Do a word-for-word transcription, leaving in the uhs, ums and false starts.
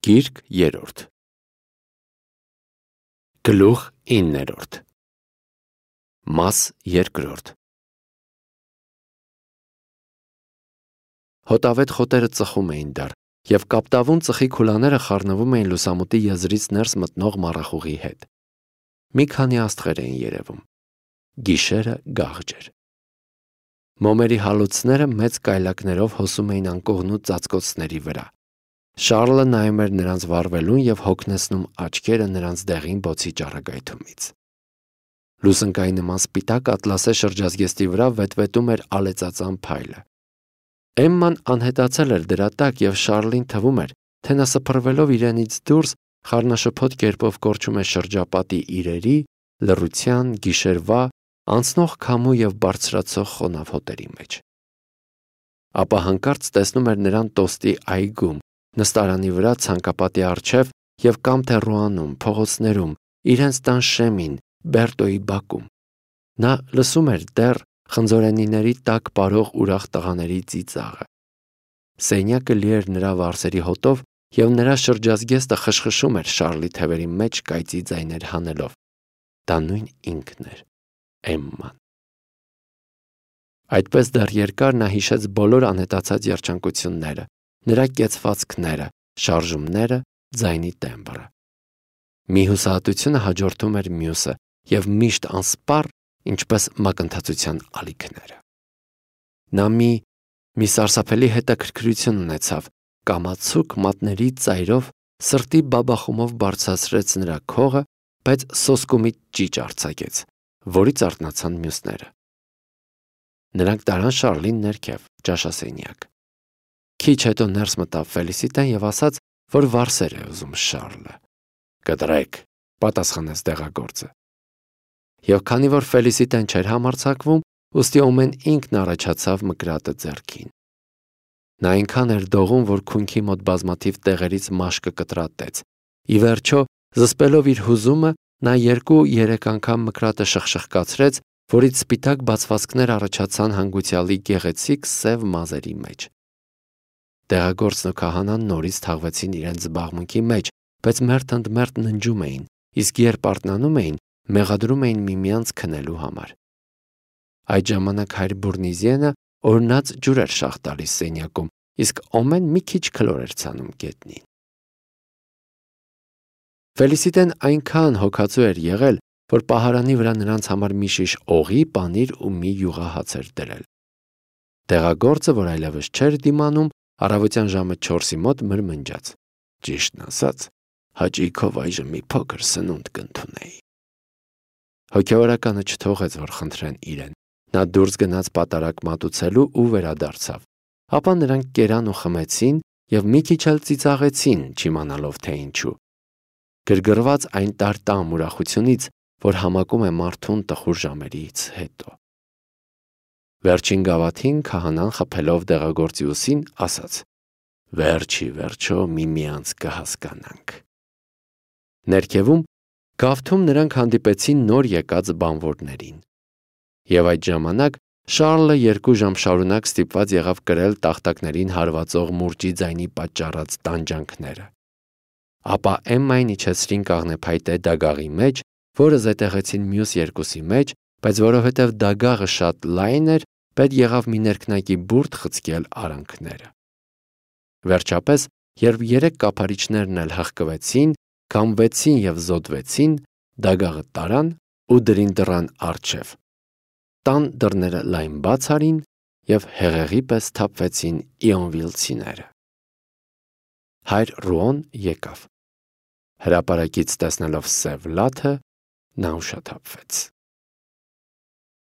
Գիրք երրորդ Գլուխ իններորդ Մաս երկրորդ Հոտավետ խոտերը ծխում էին դեռ, և կապտավուն ծխի քուլաները խառնվում էին լուսամուտի եզրից ներս մտնող մառախուղի հետ։ Մի քանի աստղեր էին երևում։ Գիշերը գաղջ էր։ Մոմերի հալոցները մեծ կայլակներով հոսում էին անկողնու ծածկոցների վրա։ Շառլը նայում էր նրանց վառվելուն և հոգնեցնում աչքերը նրանց դեղին բոցի ճառագայթումից։ Լուսնկայի նման սպիտակ ատլասե շրջազգեստի վրա վետվետում էր ալեծածան փայլը։ Էմման անհետացել էր դրա տակ, և Շառլին թվում էր, թե նա սփռվելով իրենից դուրս խառնաշփոթ կերպով կորչում է շրջապատի իրերի, լռության, գիշերվա, անցնող քամու և բարձրացող խոնավ հոտերի մեջ։ Ապա հանկարծ տեսնում էր նրան տոստի այգում, նստարանի վրա ցանկապատի առջև և կամ թե Ռուանում, փողոցներում, իրենց տան շեմին, Բերտոյի բակում։ Նա լսում էր դեռ խնձորենիների տակ պարող ուրախ տղաների ծիծաղը։ Սենյակը լի էր նրա վարսերի հոտով, և նրա շրջազգեստը խշխշում էր Շառլի թևերի մեջ կայծի ձայներ հանելով։ Դա նույն ինքն էր՝ Էմման։ Այդպես դեռ երկար նա հիշեց բոլոր անհետացած երջանկությունները, նրա կեցվածքները, շարժումները, ձայնի տեմբրը։ Մի հուսահատությունը հաջորդում էր մյուսը և միշտ անսպառ, ինչպես մակընթացության ալիքները։ Նա մի մի սարսափելի հետաքրքրություն ունեցավ, կամացուկ մատների ծայրով սրտի բաբախումով բարձրացրեց նրա քողը, բայց սոսկումից ճիճ արձակեց, որից արթնացան մյուսները։ Նրանք տարան Շառլին ներքև, ճաշասենյակ։ Քիչ հետո ներս մտավ Ֆելիսիտան և ասաց, որ վարսեր է ուզում Շառլը։ «Կտրեք», պատասխանեց դեղագործը։ Եվ քանի որ Ֆելիսիտան չէր համարձակվում, ուստի Օմեն ինքն առաջացավ մկրատը ձեռքին։ Նա այնքան էր դողում, որ քունքի մոտ բազմաթիվ տեղերից մաշկը կտրատեց։ Ի վերջո, զսպելով իր հուզումը, նա երկու-երեք անգամ մկրատը շխշխկացրեց, որից սպիտակ բացվածքներ առաջացան հանգուցյալի գեղեցիկ սև մազերի մեջ։ Դեղագործն ու քահանան նորից թաղվեցին իրենց զբաղմունքի մեջ, բայց մերթ ընդ մերթ ննջում էին, իսկ երբ արթնանում էին, մեղադրում էին միմյանց քնելու համար։ Այդ ժամանակ հայր Բուրնիզիենը օրհնած ջուր էր շաղ տալիս սենյակում, իսկ Օմեն մի քիչ քլոր էր ցանում գետնին։ Ֆելիսիտեն այնքան հոգածու էր եղել, որ պահարանի վրա նրանց համար մի շիշ օղի, պանիր ու մի յուղահաց էր դրել։ Դեղագործը, որ այլևս չէր դիմանում, առավոտյան ժամը չորսի մոտ մրմնջաց. «Ճիշտն ասած, հաճույքով այժմ մի փոքր սնունդ կընդունեի»։ Հոգևորականը չթողեց, որ խնդրեն իրեն։ Նա դուրս գնաց պատարագ մատուցելու ու վերադարձավ։ Ապա նրանք կերան ու խմեցին և մի քիչ էլ ծիծաղեցին, չիմանալով թե ինչու։ Գրգռված այն տար-տամ ուրախությունից, որ համակում է մարդուն տխուր ժամերից հետո։ Վերջին գավաթին քահանան խփելով դեղագործի ուսին ասաց. «Վերջի վերջո միմյանց կհասկանանք»։ Ներքևում գավթում նրանք հանդիպեցին նոր եկած բանվորներին։ Եվ այդ ժամանակ Շառլը երկու ժամ շարունակ ստիպված եղավ կրել տախտակներին հարվածող մուրճի ձայնի պատճառած տանջանքները։ Ապա Էմմային իջեցրին կաղնեփայտե դագաղի մեջ, որը զետեղեցին մյուս երկուսի մեջ, բայց որովհետև դագաղը շատ լայն էր, պետք եղավ մի ներքնակի բուրդ խցկել արանքները։ Վերջապես, երբ երեք կափարիչներն էլ հղկվեցին, քամվեցին և զոդվեցին, դագաղը տարան ու դրին դռան առջև։ Տան դռները լայն բաց արին, և հեղեղի պես սթափվեցին իոնվիլցիները։ Հայր Ռուոն եկավ։ Հրապարակից տեսնելով սև լաթը, նա ուշաթափվեց։